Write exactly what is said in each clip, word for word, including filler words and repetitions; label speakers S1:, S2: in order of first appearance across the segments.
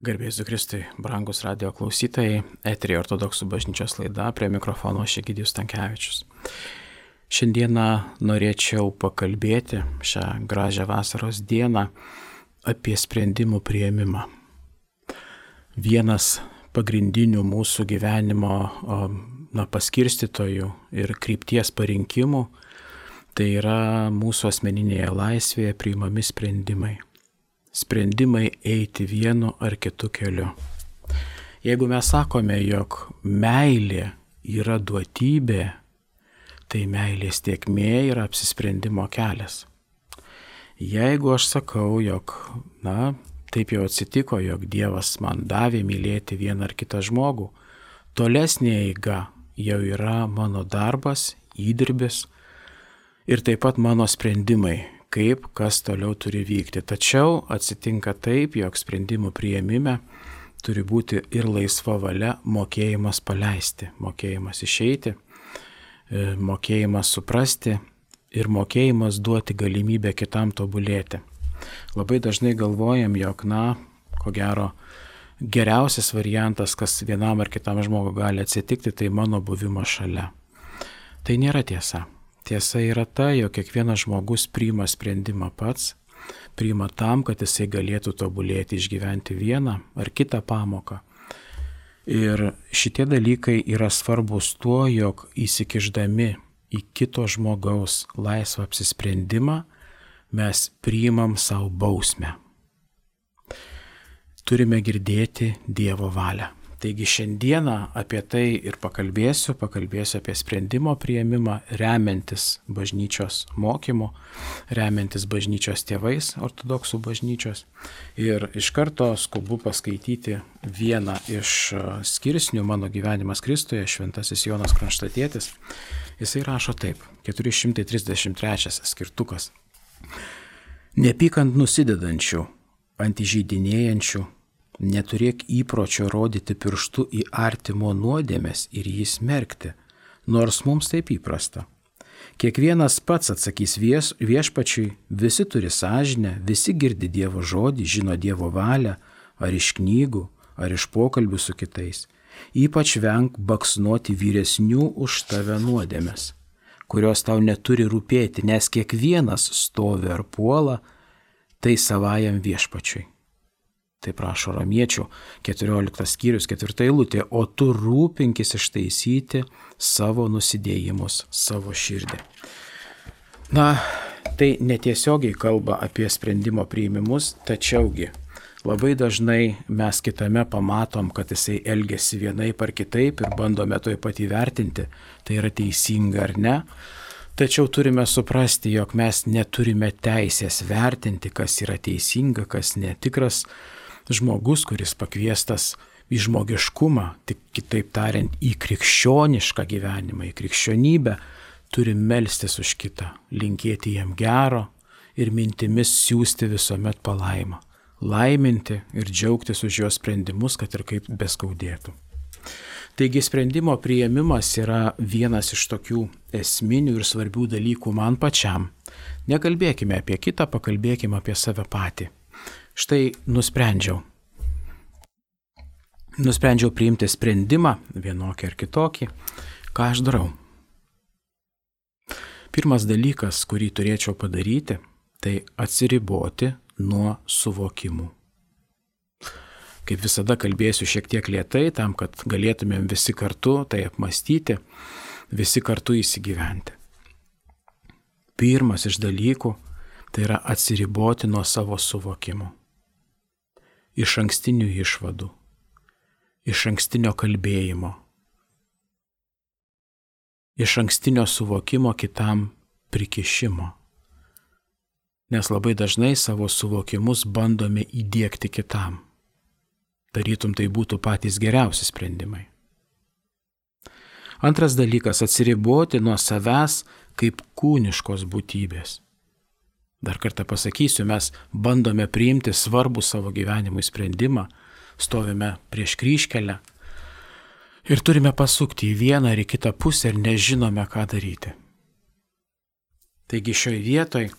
S1: Garbėsiu Kristui, brangus radio klausytojai, eterį ortodoksų bažnyčios laida, prie mikrofono aš Egidijus Stankevičius. Šiandieną norėčiau pakalbėti šią gražią vasaros dieną apie sprendimų priėmimą. Vienas pagrindinių mūsų gyvenimo na, paskirstytojų ir krypties parinkimų tai yra mūsų asmeninėje laisvėje priimami sprendimai. Sprendimai eiti vienu ar kitu keliu. Jeigu mes sakome, jog meilė yra duotybė, tai meilės tėkmė yra apsisprendimo kelias. Jeigu aš sakau, jog, na, taip jau atsitiko, jog Dievas man davė mylėti vieną ar kitą žmogų, tolesnė eiga jau yra mano darbas, įdirbis ir taip pat mano sprendimai, kaip kas toliau turi vykti. Tačiau atsitinka taip, jog sprendimų priėmime turi būti ir laisva valia, mokėjimas paleisti, mokėjimas išeiti, mokėjimas suprasti ir mokėjimas duoti galimybę kitam tobulėti. Labai dažnai galvojam, jog, na, ko gero, geriausias variantas, kas vienam ar kitam žmogui gali atsitikti, tai mano buvimas šalia. Tai nėra tiesa. Tiesa yra ta, jog kiekvienas žmogus priima sprendimą pats, priima tam, kad jisai galėtų tobulėti, išgyventi vieną ar kitą pamoką. Ir šitie dalykai yra svarbus tuo, jog įsikišdami į kito žmogaus laisvą apsisprendimą, mes priimam savo bausmę. Turime girdėti Dievo valią. Taigi šiandieną apie tai ir pakalbėsiu, pakalbėsiu apie sprendimo priėmimą, remiantis bažnyčios mokymu, remiantis bažnyčios tėvais, ortodoksų bažnyčios. Ir iš karto skubu paskaityti vieną iš skirsnių Mano gyvenimas Kristuje, šventasis Jonas Kronštatietis. Jisai rašo taip, keturi šimtai trisdešimt trečias skirtukas. Nepyk ant nusidedančių, ant įžeidinėjančių, neturėk įpročio rodyti pirštu į artimo nuodėmes ir jį smerkti, nors mums taip įprasta. Kiekvienas pats atsakys vies, viešpačiui, visi turi sąžinę, visi girdi Dievo žodį, žino Dievo valią, ar iš knygų, ar iš pokalbių su kitais. Ypač venk baksnuoti vyresnių už tave nuodėmes, kurios tau neturi rūpėti, nes kiekvienas stovi ar puola, tai savajam viešpačiui. Tai prašo Romiečių keturioliktas skyrius, ketvirta eilutė, o tu rūpinkis ištaisyti savo nusidėjimus, savo širdį. Na, tai netiesiogiai kalba apie sprendimo priėmimus, tačiaugi labai dažnai mes kitame pamatom, kad jisai elgesi vienaip ar kitaip ir bandome toj pat įvertinti, tai yra teisinga ar ne. Tačiau turime suprasti, jog mes neturime teisės vertinti, kas yra teisinga, kas netikras. Žmogus, kuris pakviestas į žmogiškumą, tik kitaip tariant, į krikščionišką gyvenimą, į krikščionybę, turi melstis už kitą, linkėti jam gero ir mintimis siūsti visuomet palaimą, laiminti ir džiaugtis už jo sprendimus, kad ir kaip beskaudėtų. Taigi sprendimo priėmimas yra vienas iš tokių esminių ir svarbių dalykų man pačiam. Nekalbėkime apie kitą, pakalbėkime apie save patį. Štai nusprendžiau. Nusprendžiau priimti sprendimą, vienokį ar kitokį, ką aš darau. Pirmas dalykas, kurį turėčiau padaryti, tai atsiriboti nuo suvokimų. Kaip visada kalbėsiu šiek tiek lėtai, tam, kad galėtumėm visi kartu tai apmastyti, visi kartu įsigyventi. Pirmas iš dalykų tai yra atsiriboti nuo savo suvokimų. Iš ankstinių išvadų, iš ankstinio kalbėjimo, iš ankstinio suvokimo kitam prikišimo. Nes labai dažnai savo suvokimus bandome įdiegti kitam. Tarytum tai būtų patys geriausi sprendimai. Antras dalykas - atsiriboti nuo savęs kaip kūniškos būtybės. Dar kartą pasakysiu, mes bandome priimti svarbų savo gyvenimui sprendimą, stovime prieš kryžkelę ir turime pasukti į vieną ar į kitą pusę ir nežinome, ką daryti. Taigi šioje vietoje,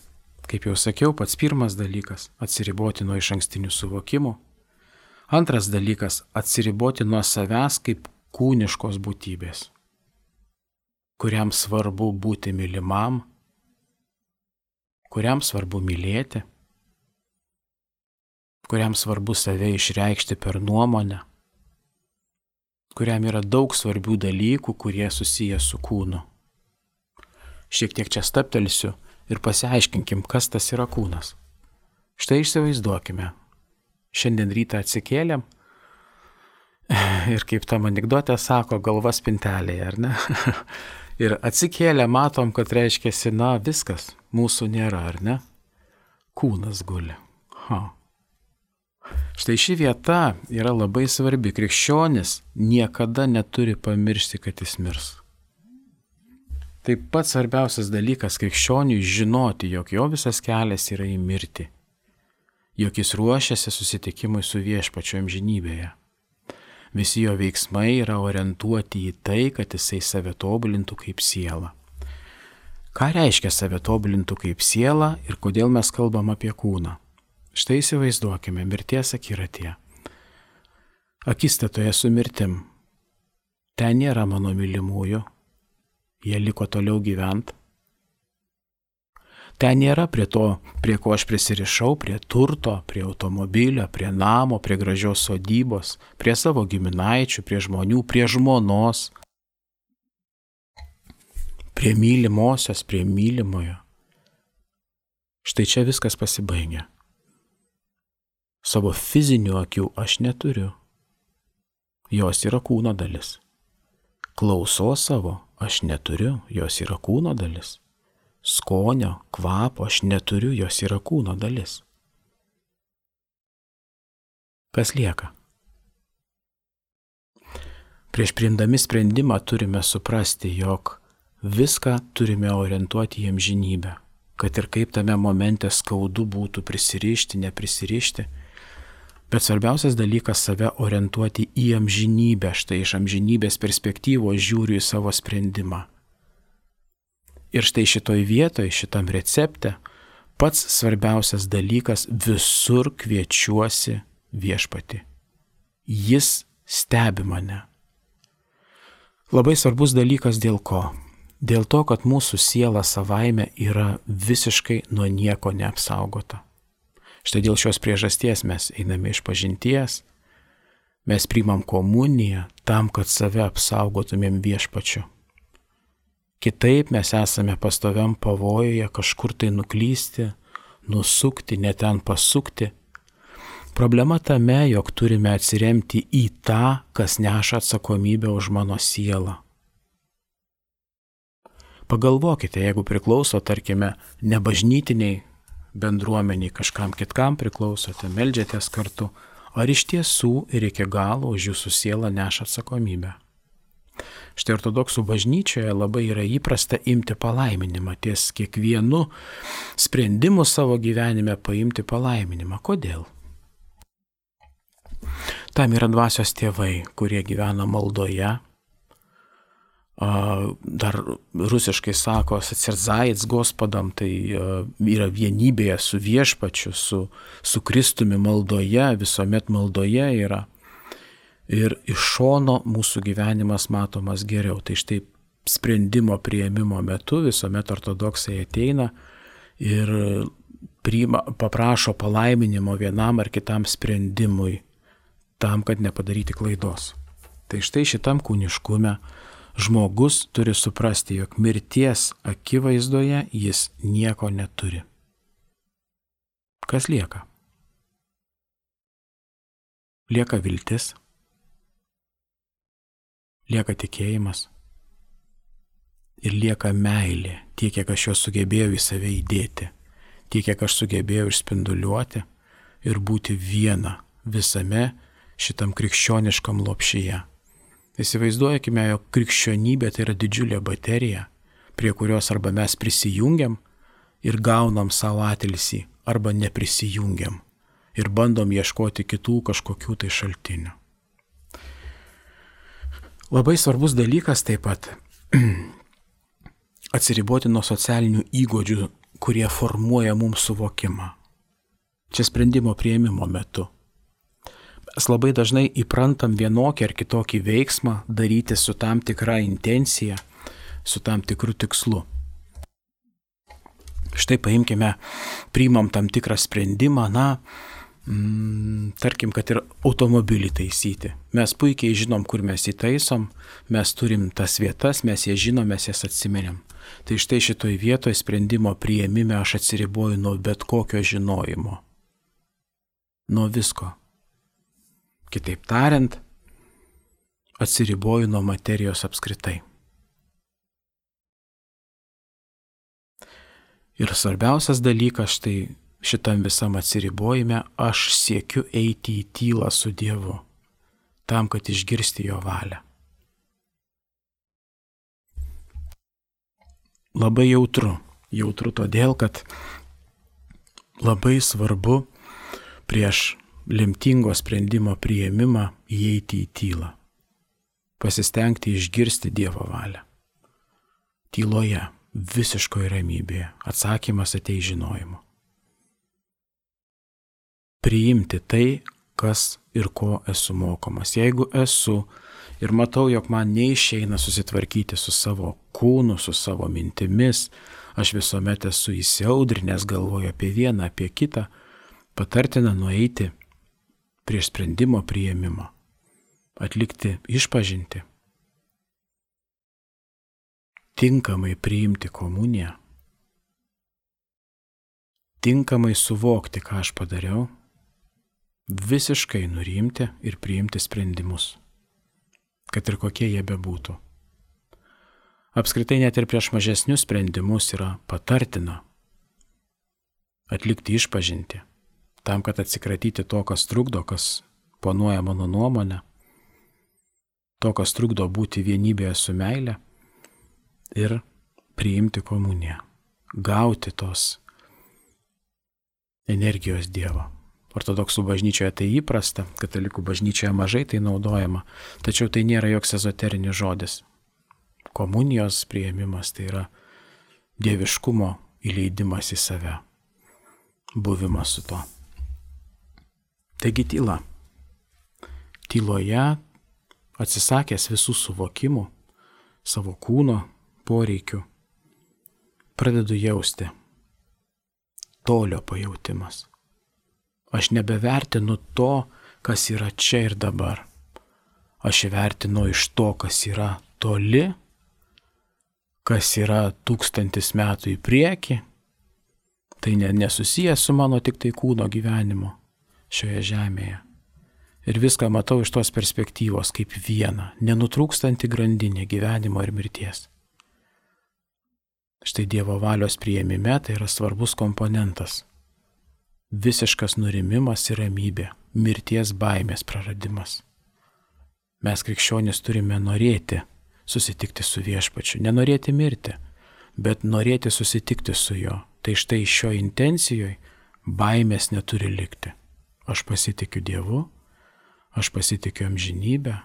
S1: kaip jau sakiau, pats pirmas dalykas - atsiriboti nuo išankstinių suvokimų. Antras dalykas - atsiriboti nuo savęs kaip kūniškos būtybės, kuriam svarbu būti mylimam, kuriam svarbu mylėti, kuriam svarbu save išreikšti per nuomonę, kuriam yra daug svarbių dalykų, kurie susiję su kūnu. Šiek tiek čia staptelsiu ir pasiaiškinkim, kas tas yra kūnas. Štai įsivaizduokime. Šiandien rytą atsikėlėm ir kaip tam anekdote sako, galva spintelėje, ar ne? Ir atsikėlę matom, kad reiškiasi, na viskas, mūsų nėra, ar ne? Kūnas guli. Ha. Štai ši vieta yra labai svarbi. Krikščionis niekada neturi pamiršti, kad jis mirs. Taip pat svarbiausias dalykas krikščioniui žinoti, jog jo visas kelias yra į mirtį, jog jis ruošiasi susitikimui su viešpačiu amžinybėje. Visi jo veiksmai yra orientuoti į tai, kad jisai save tobulintų kaip siela. Ką reiškia save tobulintų kaip siela ir kodėl mes kalbam apie kūną? Štai įsivaizduokime mirties akiratyje. Akistatoje su mirtim. Ten nėra mano mylimųjų. Jie liko toliau gyvent. Ten nėra prie to, prie ko aš prisirišau, prie turto, prie automobilio, prie namo, prie gražios sodybos, prie savo giminaičių, prie žmonių, prie žmonos, prie mylimosios, prie mylimojo. Štai čia viskas pasibaigia. Savo fizinių akių aš neturiu. Jos yra kūno dalis. Klausos savo aš neturiu, jos yra kūno dalis. Skonio, kvapo aš neturiu, jos yra kūno dalis. Kas lieka? Prieš priimdami sprendimą turime suprasti, jog viską turime orientuoti į amžinybę, kad ir kaip tame momente skaudu būtų prisirišti, neprisirišti, bet svarbiausias dalykas save orientuoti į amžinybę, štai iš amžinybės perspektyvos žiūriu į savo sprendimą. Ir štai šitoj vietoj, šitam recepte, pats svarbiausias dalykas visur kviečiuosi viešpatį. Jis stebi mane. Labai svarbus dalykas dėl ko? Dėl to, kad mūsų siela savaime yra visiškai nuo nieko neapsaugota. Štai dėl šios priežasties mes einame iš pažinties, mes priimam komuniją tam, kad save apsaugotumėm viešpačiu. Kitaip mes esame pastoviam pavojuje kažkur tai nuklysti, nusukti, ne ten pasukti. Problema tame, jog turime atsiremti į tą, kas neša atsakomybę už mano sielą. Pagalvokite, jeigu priklauso, tarkime, nebažnytiniai bendruomeniai, kažkam kitkam priklausote, meldžiatės kartu, ar iš tiesų ir iki galo už jūsų sielą neša atsakomybę. Štai ortodoksų bažnyčioje labai yra įprasta imti palaiminimą, ties kiekvienu sprendimu savo gyvenime paimti palaiminimą. Kodėl? Tam yra dvasios tėvai, kurie gyvena maldoje. Dar rusiškai sako atsirzajits Gospodam, tai yra vienybėje su viešpačiu, su, su Kristumi maldoje, visuomet maldoje yra. Ir iš šono mūsų gyvenimas matomas geriau. Tai štai sprendimo priėmimo metu visuomet ortodoksai ateina ir priima, paprašo palaiminimo vienam ar kitam sprendimui, tam, kad nepadaryti klaidos. Tai štai šitam kūniškume žmogus turi suprasti, jog mirties akivaizdoje jis nieko neturi. Kas lieka? Lieka viltis. Lieka tikėjimas ir lieka meilė, tiek, kiek aš jo sugebėjau į save įdėti, tiek, kiek aš sugebėjau išspinduliuoti ir būti viena visame šitam krikščioniškam lopšyje. Įsivaizduokime, jog krikščionybė tai yra didžiulė baterija, prie kurios arba mes prisijungiam ir gaunam savo atilsį, arba neprisijungiam ir bandom ieškoti kitų kažkokių tai šaltinių. Labai svarbus dalykas taip pat atsiriboti nuo socialinių įgūdžių, kurie formuoja mums suvokimą. Čia sprendimo priėmimo metu. Mes labai dažnai įprantam vienokį ar kitokį veiksmą daryti su tam tikra intencija, su tam tikru tikslu. Štai paimkime, priimam tam tikrą sprendimą, na, mm, tarkim, kad ir automobilį taisyti. Mes puikiai žinom, kur mes įtaisom, mes turim tas vietas, mes jas žinom, mes jas atsimenėm. Tai štai šitoj vietoj sprendimo priėmime aš atsiriboju nuo bet kokio žinojimo. Nuo visko. Kitaip tariant, atsiriboju nuo materijos apskritai. Ir svarbiausias dalykas, štai šitam visam atsiribojime, aš siekiu eiti į tylą su Dievu, tam, kad išgirsti jo valią. Labai jautru. Jautru todėl, kad labai svarbu prieš lemtingo sprendimo priėmimą įeiti į tylą. Pasistengti išgirsti Dievo valią. Tyloje, visiškoje ramybėje, atsakymas ateis žinojimu. Priimti tai, kas ir ko esu mokomas. Jeigu esu ir matau, jog man neišeina susitvarkyti su savo kūnu, su savo mintimis, aš visuomet esu įsiaudrinęs, galvoju apie vieną, apie kitą, patartina nueiti prieš sprendimo priėmimą, atlikti išpažintį, tinkamai priimti komuniją, tinkamai suvokti, ką aš padariau, visiškai nurimti ir priimti sprendimus, kad ir kokie jie bebūtų. Apskritai net ir prieš mažesnius sprendimus yra patartina atlikti išpažintį, tam, kad atsikratyti to, kas trukdo, kas ponuoja mano nuomonę, to, kas trukdo būti vienybėje su meile ir priimti komuniją, gauti tos energijos Dievo. Ortodoksų bažnyčioje tai įprasta, katalikų bažnyčioje mažai tai naudojama, tačiau tai nėra joks ezoterinis žodis. Komunijos priėmimas tai yra dieviškumo įleidimas į save, buvimas su to. Taigi tyla. Tyloje, atsisakęs visų suvokimų, savo kūno poreikių, pradedu jausti tolio pajautimas. Aš nebevertinu to, kas yra čia ir dabar. Aš įvertinu iš to, kas yra toli, kas yra tūkstantis metų į priekį. Tai ne, nesusijęs su mano tik tai kūno gyvenimu šioje žemėje. Ir viską matau iš tos perspektyvos kaip vieną, nenutrūkstantį grandinę gyvenimo ir mirties. Štai Dievo valios priėmime tai yra svarbus komponentas. Visiškas nurimimas ir ramybė, mirties baimės praradimas. Mes krikščionys turime norėti susitikti su Viešpačiu, nenorėti mirti, bet norėti susitikti su juo. Tai štai šio intencijoje baimės neturi likti. Aš pasitikiu Dievu, aš pasitikiu amžinybę,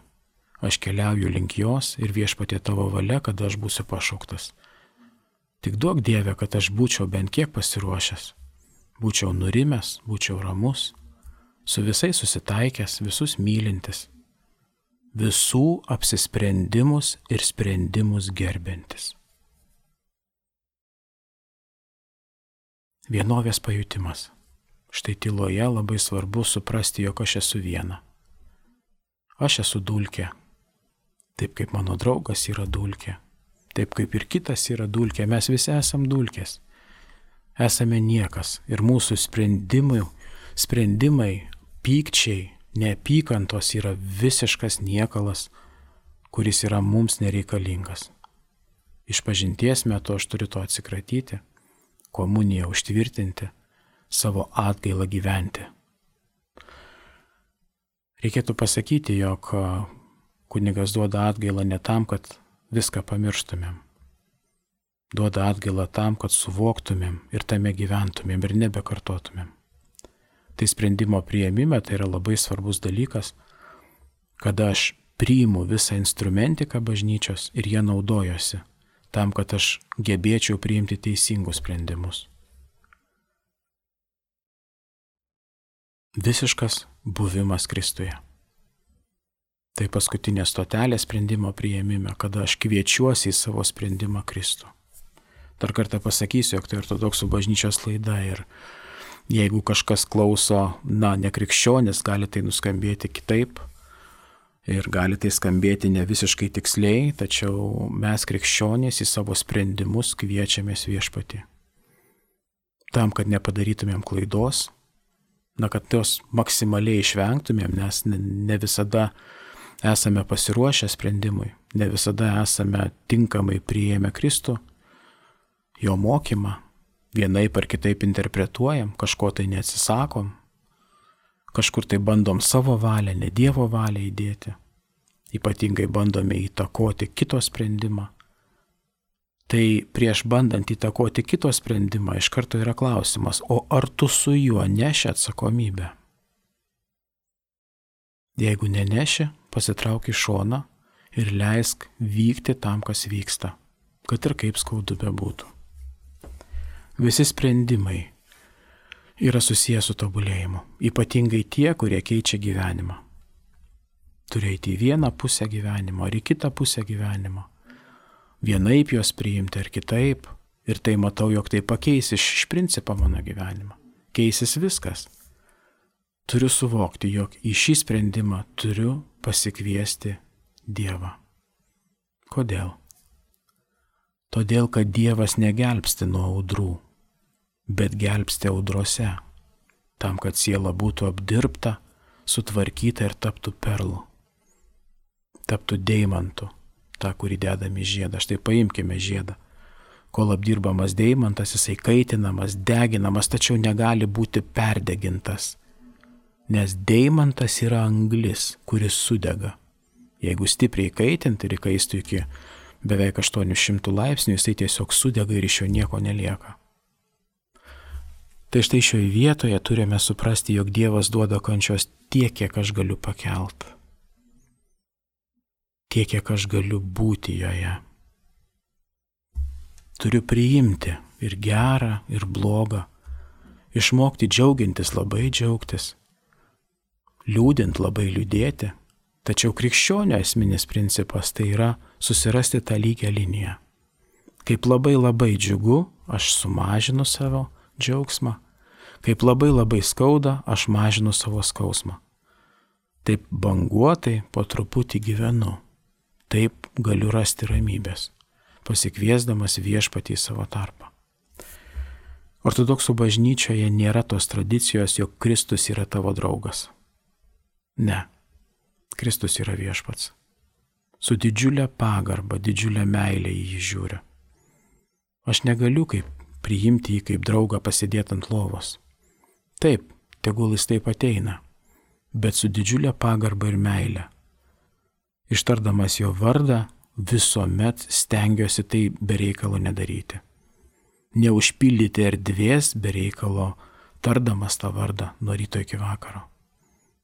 S1: aš keliauju link jos ir Viešpatie tavo valia, kad aš būsiu pašauktas. Tik duok Dieve, kad aš būčiau bent kiek pasiruošęs. Būčiau nurimęs, būčiau ramus, su visais susitaikęs, visus mylintis, visų apsisprendimus ir sprendimus gerbiantis. Vienovės pajutimas. Štai tyloje labai svarbu suprasti, jog aš esu viena. Aš esu dulkė, taip kaip mano draugas yra dulkė, taip kaip ir kitas yra dulkė, mes visi esam dulkės. Esame niekas ir mūsų sprendimai, sprendimai, pykčiai, neapykantos yra visiškas niekalas, kuris yra mums nereikalingas. Išpažinties metu aš turiu to atsikratyti, komuniją užtvirtinti, savo atgailą gyventi. Reikėtų pasakyti, jog kunigas duoda atgailą ne tam, kad viską pamirštumėm. Duoda atgailą tam, kad suvoktumėm ir tame gyventumėm ir nebekartotumėm. Tai sprendimo priėmime tai yra labai svarbus dalykas, kada aš priimu visą instrumentiką bažnyčios ir jie naudojosi, tam, kad aš gebėčiau priimti teisingus sprendimus. Visiškas buvimas Kristuje. Tai paskutinė stotelė sprendimo priėmime, kada aš kviečiuosi į savo sprendimą Kristų. Dar kartą pasakysiu, jog tai ortodoksų bažnyčios laida ir jeigu kažkas klauso, na, nekrikščionis, gali tai nuskambėti kitaip ir gali tai skambėti ne visiškai tiksliai, tačiau mes krikščionys į savo sprendimus kviečiamės Viešpatį. Tam, kad nepadarytumėm klaidos, na, kad tos maksimaliai išvengtumėm, nes ne visada esame pasiruošę sprendimui, ne visada esame tinkamai priėmę Kristų, jo mokymą, vienaip ar kitaip interpretuojam, kažko tai neatsisakom, kažkur tai bandom savo valią, ne Dievo valią įdėti, ypatingai bandome įtakoti kito sprendimą. Tai prieš bandant įtakoti kito sprendimą iš karto yra klausimas, o ar tu su juo neši atsakomybę? Jeigu neneši, pasitrauk į šoną ir leisk vykti tam, kas vyksta, kad ir kaip skaudu bebūtų. Visi sprendimai yra susijęs su tobulėjimu, ypatingai tie, kurie keičia gyvenimą. Turi eiti į vieną pusę gyvenimo ar į kitą pusę gyvenimo. Vienaip juos priimti ar kitaip, ir tai matau, jog tai pakeis iš, iš principo mano gyvenimą. Keisis viskas. Turiu suvokti, jog į šį sprendimą turiu pasikviesti Dievą. Kodėl? Todėl, kad Dievas negelbsti nuo audrų, bet gelbsti audrose, tam, kad siela būtų apdirbta, sutvarkyta ir taptų perlu, taptų deimantu, tą, kurį dedame į žiedą. Štai paimkime žiedą. Kol apdirbamas deimantas, jisai kaitinamas, deginamas, tačiau negali būti perdegintas, nes deimantas yra anglis, kuris sudega. Jeigu stipriai kaitinti ir įkaistų iki beveik aštuonių šimtų laipsnių, jisai tiesiog sudega ir iš jo nieko nelieka. Tai štai šioje vietoje turime suprasti, jog Dievas duoda kančios tiek, kiek aš galiu pakelt. Tiek, kiek aš galiu būti joje. Turiu priimti ir gerą, ir blogą. Išmokti džiaugintis, labai džiaugtis. Liūdint, labai liūdėti. Tačiau krikščionio esminis principas tai yra susirasti tą lygią liniją. Kaip labai labai džiugu, aš sumažinu savo džiaugsmą. Kaip labai labai skauda, aš mažinu savo skausmą. Taip banguotai po truputį gyvenu. Taip galiu rasti ramybės, pasikviesdamas Viešpatį į savo tarpą. Ortodoksų bažnyčioje nėra tos tradicijos, jog Kristus yra tavo draugas. Ne. Kristus yra Viešpats. Su didžiulė pagarba, didžiulė meilė į jį žiūriu. Aš negaliu kaip priimti jį kaip draugą pasėdėti ant lovos. Taip, tegul jis taip ateina, bet su didžiulė pagarba ir meilė. Ištardamas jo vardą, visuomet stengiuosi tai be reikalo nedaryti. Neužpildyti erdvės be reikalo, tardamas tą vardą nuo ryto iki vakaro.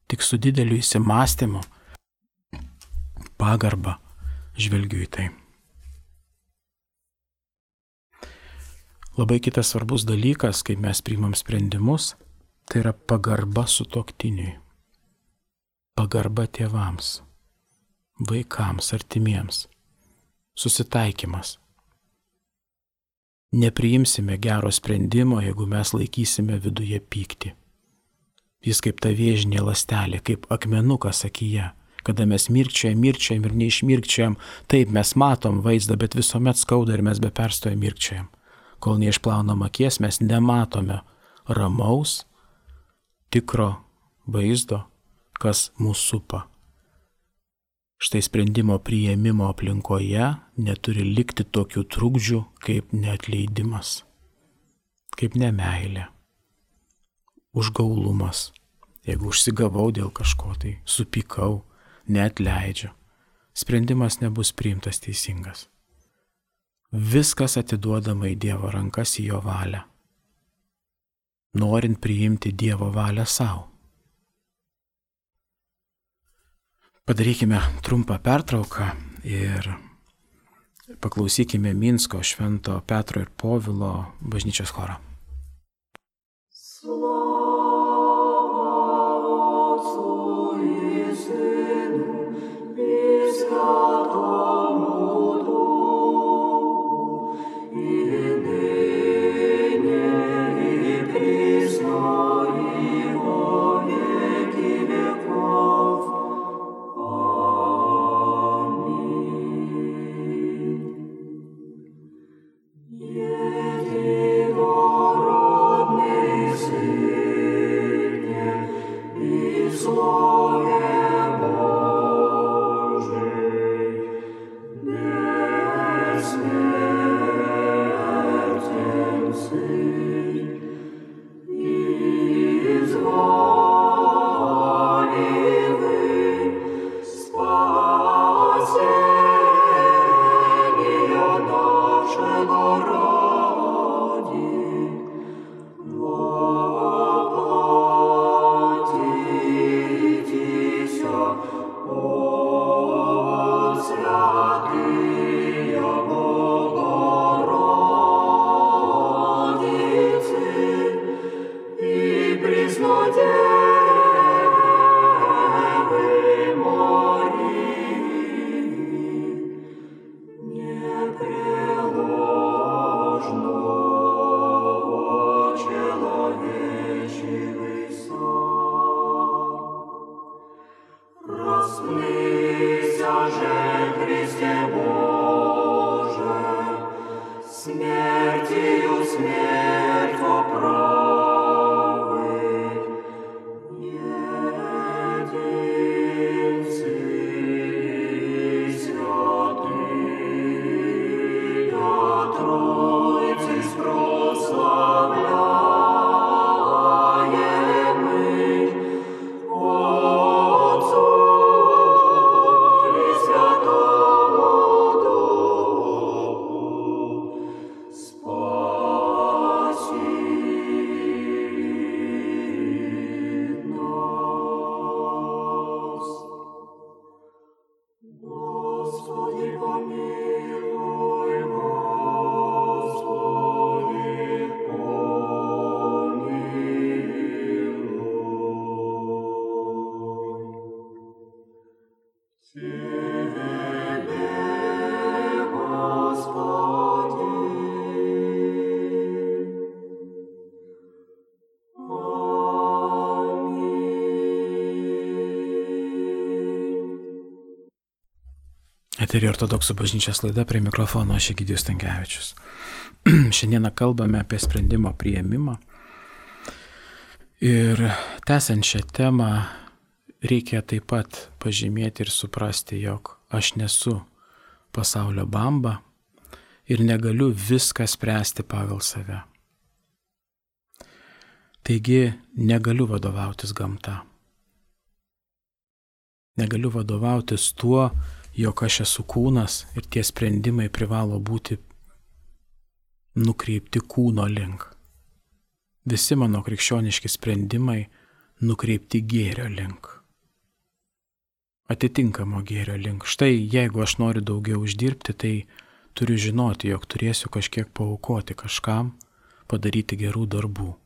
S1: Tik su dideliu įsimąstymu, pagarba žvelgiu į tai. Labai kitas svarbus dalykas, kai mes priimam sprendimus, tai yra pagarba sutuoktiniui. Pagarba tėvams, vaikams, artimiems. Susitaikymas. Nepriimsime gero sprendimo, jeigu mes laikysime viduje pyktį. Jis kaip ta vėžinė ląstelė, kaip akmenukas akyje. Kada mes mirkčiojam, mirkčiojam ir neišmirkčiojam, taip mes matom vaizdą, bet visuomet skauda ir mes be perstojo mirkčiojam. Kol neišplaunam akies, mes nematome ramaus, tikro vaizdo, kas mūsų supa. Štai sprendimo priėmimo aplinkoje neturi likti tokių trukdžių kaip neatleidimas, kaip nemeilė, užgaulumas. Jeigu užsigavau dėl kažko, tai supykau, neatleidžiu. Sprendimas nebus priimtas teisingas. Viskas atiduodama į Dievo rankas, į jo valią. Norint priimti Dievo valią savo. Padarykime trumpą pertrauką ir paklausykime Minsko Švento Petro ir Povilo bažnyčios choro. Slava
S2: Просмися же, Христе Боже, смертью смерть поправить. Един Сын святый, я Тройцы прославляемый, Отцу и Святому Духу, спаси нас. Господи, помилуй, Господи, помилуй. Тебе, Господи, аминь.
S1: Eterį ortodoksų bažnyčios laida, prie mikrofono aš Egidijus Stankevičius. Šiandieną kalbame apie sprendimo priėmimą. Ir tęsiant šią temą, reikia taip pat pažymėti ir suprasti, jog aš nesu pasaulio bamba ir negaliu viską spręsti pagal save. Taigi negaliu vadovautis gamta. Negaliu vadovautis tuo, jog aš esu kūnas ir tie sprendimai privalo būti nukreipti kūno link. Visi mano krikščioniški sprendimai nukreipti gėrio link. Atitinkamo gėrio link. Štai jeigu aš noriu daugiau uždirbti, tai turiu žinoti, jog turėsiu kažkiek paaukoti kažkam, padaryti gerų darbų.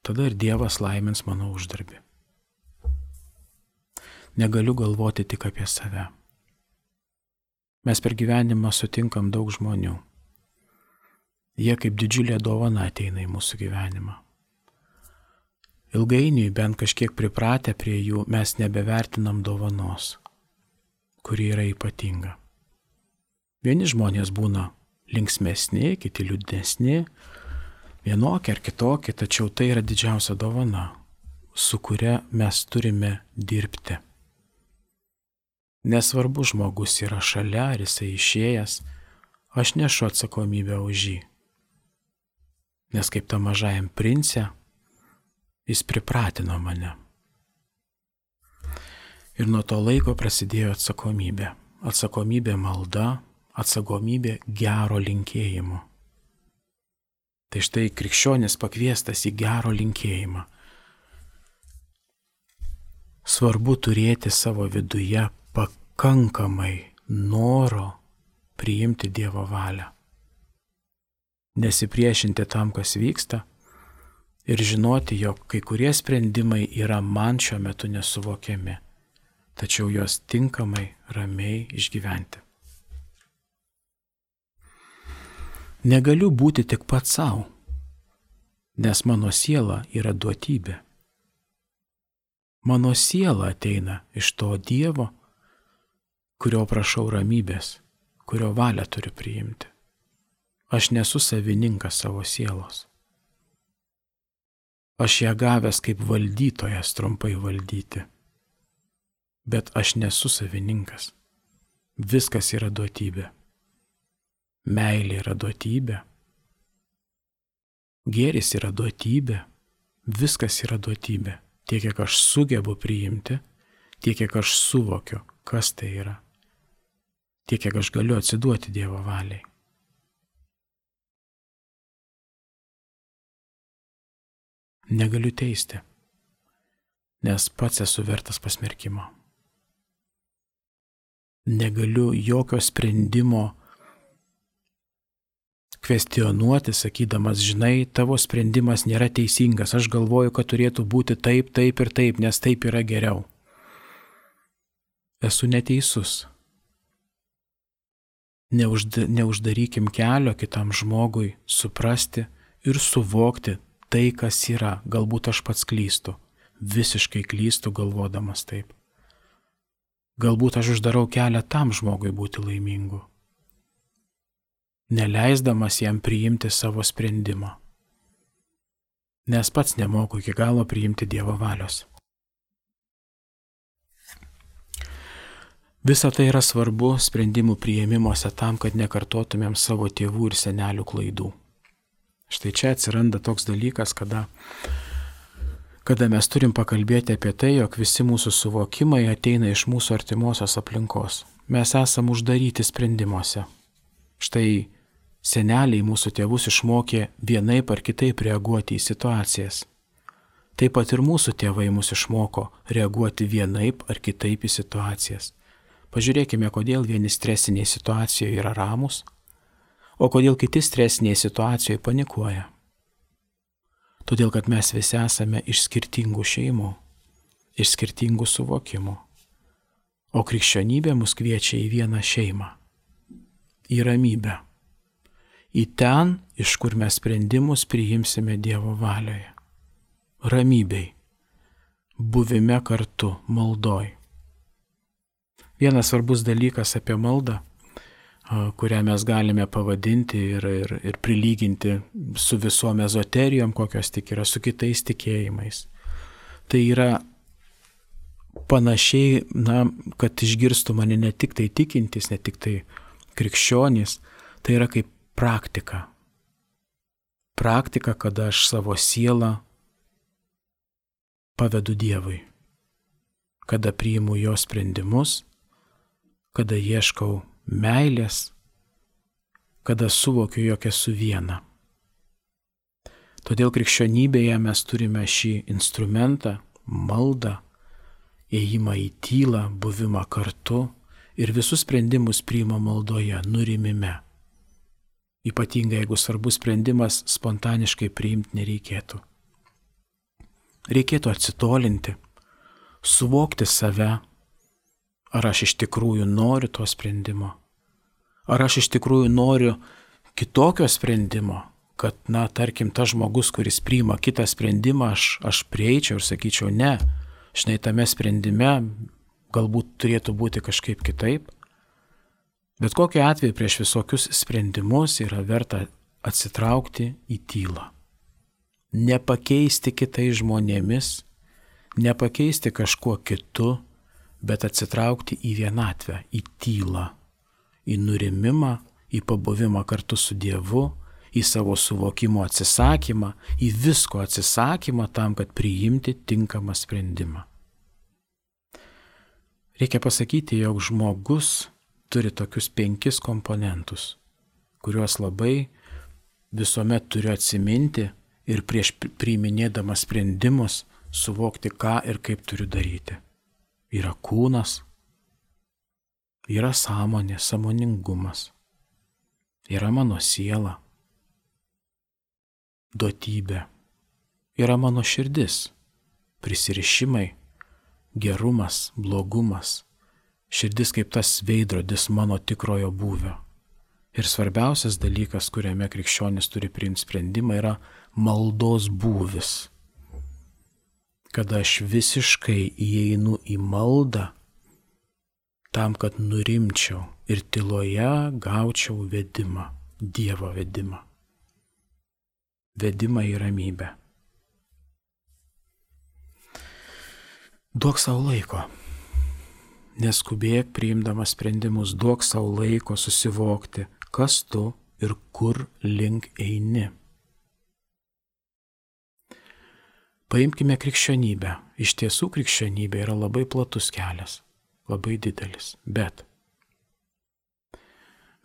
S1: Tada ir Dievas laimins mano uždarbį. Negaliu galvoti tik apie save. Mes per gyvenimą sutinkam daug žmonių. Jie kaip didžiulė dovana ateina į mūsų gyvenimą. Ilgainiui, bent kažkiek pripratę prie jų, mes nebevertinam dovanos, kuri yra ypatinga. Vieni žmonės būna linksmesni, kiti liūdnesni, vienokie ar kitokie, tačiau tai yra didžiausia dovana, su kuria mes turime dirbti. Nesvarbu, žmogus yra šalia, ar jisai išėjęs, aš nešu atsakomybę už jį. Nes kaip ta mažajam prince, jis pripratino mane. Ir nuo to laiko prasidėjo atsakomybė. Atsakomybė malda, atsakomybė gero linkėjimo. Tai štai krikščionis pakviestas į gero linkėjimą. Svarbu turėti savo viduje pakankamai noro priimti Dievo valią. Nesipriešinti tam, kas vyksta ir žinoti, jog kai kurie sprendimai yra man šiuo metu nesuvokiami, tačiau juos tinkamai, ramiai išgyventi. Negaliu būti tik pats savo, nes mano siela yra duotybė. Mano siela ateina iš to Dievo, kurio prašau ramybės, kurio valią turiu priimti. Aš nesu savininkas savo sielos. Aš ją gavęs kaip valdytojas trumpai valdyti. Bet aš nesu savininkas. Viskas yra duotybė. Meilė yra duotybė. Gėris yra duotybė. Viskas yra duotybė. Tiek, kiek aš sugebu priimti, tiek, kiek aš suvokiu, kas tai yra. Tiek, kiek aš galiu atsiduoti Dievo valiai. Negaliu teisti, nes pats esu vertas pasmerkimo. Negaliu jokio sprendimo kvestionuoti, sakydamas, žinai, tavo sprendimas nėra teisingas, aš galvoju, kad turėtų būti taip, taip ir taip, nes taip yra geriau. Esu neteisus. Neužda, neuždarykim kelio kitam žmogui suprasti ir suvokti tai, kas yra. Galbūt aš pats klystu, visiškai klystu galvodamas taip. Galbūt aš uždarau kelią tam žmogui būti laimingu, neleisdamas jam priimti savo sprendimą, nes pats nemoku iki galo priimti Dievo valios. Visa tai yra svarbu sprendimų priėmimuose tam, kad nekartotumėm savo tėvų ir senelių klaidų. Štai čia atsiranda toks dalykas, kada, kada mes turim pakalbėti apie tai, jog visi mūsų suvokimai ateina iš mūsų artimosios aplinkos. Mes esam uždaryti sprendimuose. Štai seneliai mūsų tėvus išmokė vienaip ar kitaip reaguoti į situacijas. Taip pat ir mūsų tėvai mus išmoko reaguoti vienaip ar kitaip į situacijas. Pažiūrėkime, kodėl vieni stresinėje situacijoje yra ramus, o kodėl kiti stresinėje situacijoje panikuoja. Todėl, kad mes visi esame iš skirtingų šeimų, iš skirtingų suvokimų. O krikščionybė mus kviečia į vieną šeimą, į ramybę, į ten, iš kur mes sprendimus priimsime Dievo valioje. Ramybei, buvime kartu, maldoj. Vienas svarbus dalykas apie maldą, kurią mes galime pavadinti ir, ir, ir prilyginti su visom ezoterijom, kokios tik yra, su kitais tikėjimais. Tai yra panašiai, na, kad išgirstų mane ne tik tai tikintis, ne tik tai krikščionys, tai yra kaip praktika. Praktika, kada aš savo sielą pavedu Dievui, kada priimu jo sprendimus, kada ieškau meilės, kada suvokiu, jog esu viena. Todėl krikščionybėje mes turime šį instrumentą, maldą, ėjimą į tylą, buvimą kartu ir visus sprendimus priima maldoje, nurimime. Ypatingai, jeigu svarbus sprendimas, spontaniškai priimti nereikėtų. Reikėtų atsitolinti, suvokti save. Ar aš iš tikrųjų noriu to sprendimo? Ar aš iš tikrųjų noriu kitokio sprendimo, kad, na, tarkim, tas žmogus, kuris priima kitą sprendimą, aš, aš prieičiau ir sakyčiau, ne, žinai, tame sprendime galbūt turėtų būti kažkaip kitaip. Bet kokiu atveju prieš visokius sprendimus yra verta atsitraukti į tylą. Nepakeisti kitais žmonėmis, nepakeisti kažkuo kitu, bet atsitraukti į vienatvę, į tylą, į nurimimą, į pabuvimą kartu su Dievu, į savo suvokimo atsisakymą, į visko atsisakymą tam, kad priimti tinkamą sprendimą. Reikia pasakyti, jog žmogus turi tokius penkis komponentus, kuriuos labai visuomet turiu atsiminti ir prieš priiminėdamas sprendimus suvokti, ką ir kaip turiu daryti. Yra kūnas, yra sąmonė, sąmoningumas, yra mano siela, duotybė, yra mano širdis, prisirišimai, gerumas, blogumas, širdis kaip tas veidrodis mano tikrojo būvio. Ir svarbiausias dalykas, kuriame krikščionis turi priimti sprendimą, yra maldos būvis. Kada aš visiškai įeinu į maldą, tam, kad nurimčiau ir tyloje gaučiau vedimą, Dievo vedimą. Vedimą į ramybę. Duok savo laiko. Neskubėk priimdamas sprendimus, duok savo laiko susivokti, kas tu ir kur link eini. Paimkime krikščionybę. Iš tiesų krikščionybė yra labai platus kelias, labai didelis, bet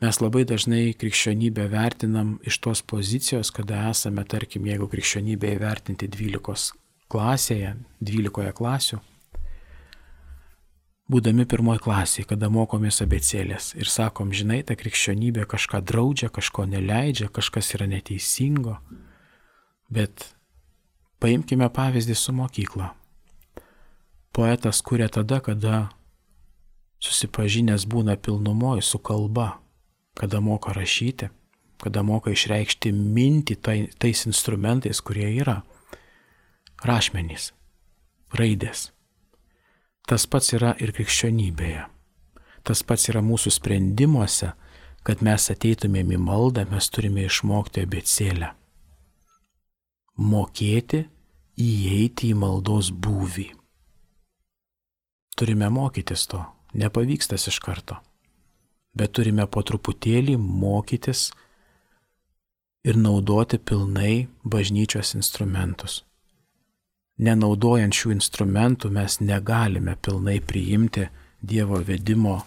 S1: mes labai dažnai krikščionybę vertinam iš tos pozicijos, kada esame, tarkim, jeigu krikščionybę įvertinti dvylikos klasėje, dvylikoje klasių, būdami pirmoji klasėje, kada mokomės abėcėlės ir sakom, žinai, ta krikščionybė kažką draudžia, kažko neleidžia, kažkas yra neteisingo, bet paimkime pavyzdį su mokykla. Poetas kuria tada, kada susipažinęs būna pilnumoje su kalba, kada moka rašyti, kada moka išreikšti mintį tai, tais instrumentais, kurie yra rašmenys, raidės. Tas pats yra ir krikščionybėje. Tas pats yra mūsų sprendimuose, kad mes ateitumėm į maldą, mes turime išmokti abėcėlę. Mokėti įeiti į maldos būvį. Turime mokytis to, nepavyksta iš karto, bet turime po truputėlį mokytis ir naudoti pilnai bažnyčios instrumentus. Nenaudojant šių instrumentų mes negalime pilnai priimti Dievo vedimo,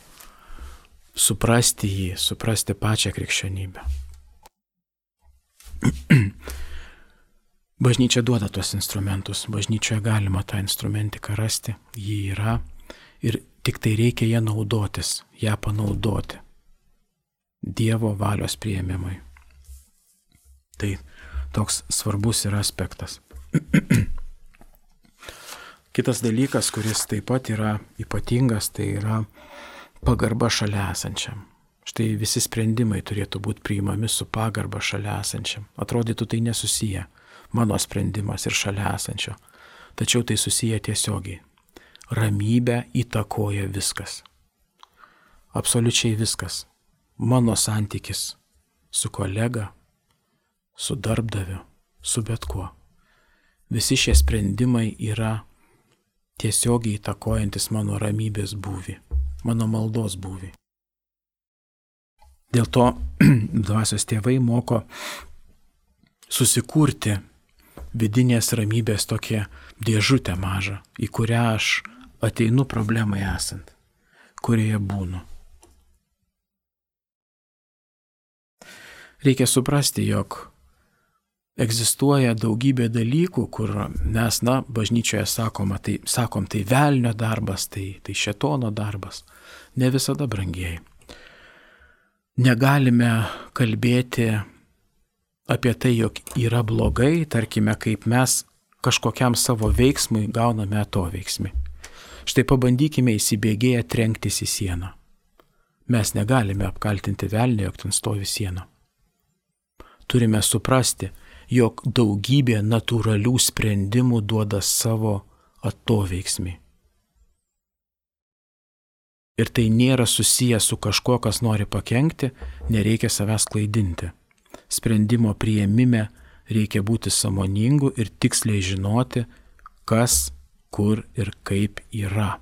S1: suprasti jį, suprasti pačią krikščionybę. Bažnyčia duoda tuos instrumentus, bažnyčioje galima tą instrumentiką rasti, jį yra ir tik tai reikia ją naudotis, ją panaudoti Dievo valios priėmimui. Tai toks svarbus yra aspektas. Kitas dalykas, kuris taip pat yra ypatingas, tai yra pagarba šalia esančiam. Štai visi sprendimai turėtų būti priimami su pagarba šalia esančiam. Atrodytų tai nesusiję, mano sprendimas ir šalia esančio. Tačiau tai susiję tiesiogiai. Ramybę įtakoja viskas. Absoliučiai viskas. Mano santykis su kolega, su darbdaviu, su bet kuo. Visi šie sprendimai yra tiesiogiai įtakojantis mano ramybės būvį, mano maldos būvį. Dėl to dvasios tėvai moko susikurti vidinės ramybės tokią dėžutę mažą, į kurią aš ateinu problemai esant, kurioje būnu. Reikia suprasti, jog egzistuoja daugybė dalykų, kur mes, na, bažnyčioje sakoma, tai, sakom, tai velnio darbas, tai, tai šėtono darbas. Ne visada, brangieji. Negalime kalbėti apie tai, jog yra blogai, tarkime, kaip mes kažkokiam savo veiksmui gauname atoveiksmį. Štai pabandykime įsibėgėję trenktis į sieną. Mes negalime apkaltinti velnio, jog ten stovi siena. Turime suprasti, jog daugybė natūralių sprendimų duoda savo atoveiksmį. Ir tai nėra susiję su kažkuo, kas nori pakenkti, nereikia savęs klaidinti. Sprendimo priėmime reikia būti sąmoningu ir tiksliai žinoti, kas, kur ir kaip yra.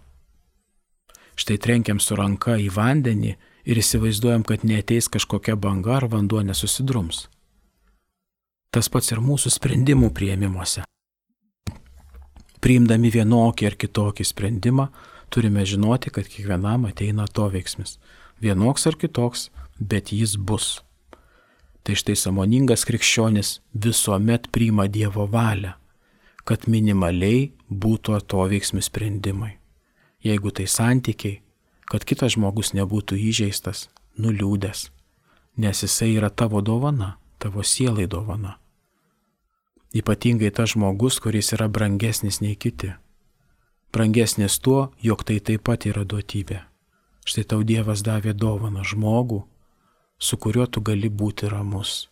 S1: Štai trenkiam su ranka į vandenį ir įsivaizduojam, kad neateis kažkokia banga ar vanduo nesusidrums. Tas pats ir mūsų sprendimų priėmimuose. Priimdami vienokį ar kitokį sprendimą, turime žinoti, kad kiekvienam ateina atoveiksmis. Vienoks ar kitoks, bet jis bus. Tai štai sąmoningas krikščionis visuomet priima Dievo valią, kad minimaliai būtų atoveiksmių sprendimai. Jeigu tai santykiai, kad kitas žmogus nebūtų įžeistas, nuliūdęs, nes jisai yra tavo dovana, tavo sielai dovana. Ypatingai tas žmogus, kuris yra brangesnis nei kiti. Brangesnis tuo, jog tai taip pat yra duotybė. Štai tau Dievas davė dovaną žmogų, su kuriuo tu gali būti ramus,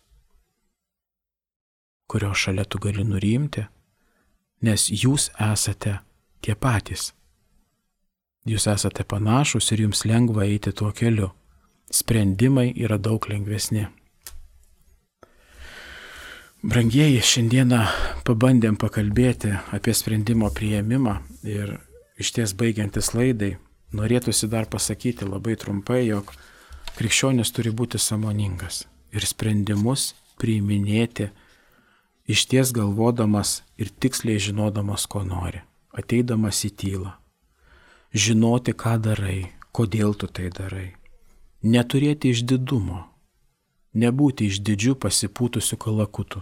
S1: kurio šalia tu gali nurimti, nes jūs esate tie patys. Jūs esate panašus ir jums lengva eiti tuo keliu. Sprendimai yra daug lengvesni. Brangieji, šiandieną pabandėm pakalbėti apie sprendimo priėmimą ir išties baigiantis laidai, norėtųsi dar pasakyti labai trumpai, jog krikščionis turi būti sąmoningas ir sprendimus priiminėti išties galvodamas ir tiksliai žinodamas, ko nori, ateidamas į tylą. Žinoti, ką darai, kodėl tu tai darai. Neturėti išdidumo, nebūti išdidžių pasipūtusių kalakutų.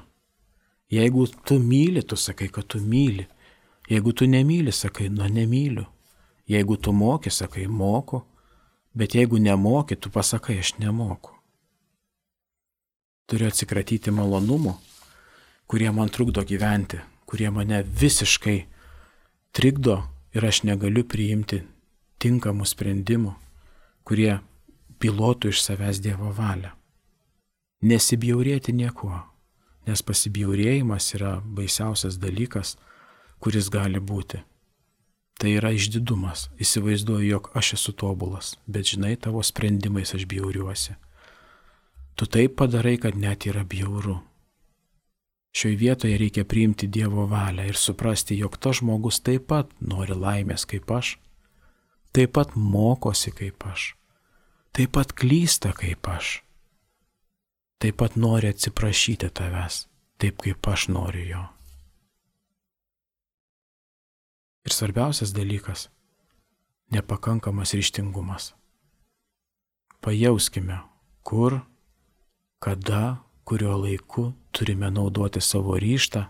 S1: Jeigu tu myli, tu sakai, kad tu myli. Jeigu tu nemyli, sakai, nu nemyliu. Jeigu tu moki, sakai, moku. Bet jeigu nemoki, tu pasakai, aš nemoku. Turiu atsikratyti malonumų, kurie man trukdo gyventi, kurie mane visiškai trikdo ir aš negaliu priimti tinkamų sprendimų, kurie pilotų iš savęs Dievo valią. Nesibjaurėti niekuo. Nes pasibjaurėjimas yra baisiausias dalykas, kuris gali būti. Tai yra išdidumas. Įsivaizduoju, jog aš esu tobulas, bet žinai, tavo sprendimais aš bjauriuosi. Tu taip padarai, kad net yra bjauru. Šioje vietoje reikia priimti Dievo valią ir suprasti, jog tas žmogus taip pat nori laimės kaip aš, taip pat mokosi kaip aš, taip pat klysta kaip aš, taip pat nori atsiprašyti tavęs, taip kaip aš noriu jo. Ir svarbiausias dalykas – nepakankamas ryžtingumas. Pajauskime, kur, kada, kurio laiku turime naudoti savo ryžtą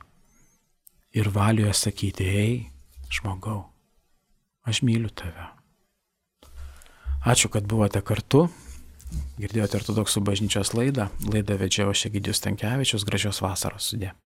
S1: ir valioje sakyti, ei, žmogau, aš myliu tave. Ačiū, kad buvote kartu. Girdėjote Ortodoksų bažnyčios laidą. Laidą vedžiau aš Egidijus Stankevičius. Gražios vasaros. Sudie.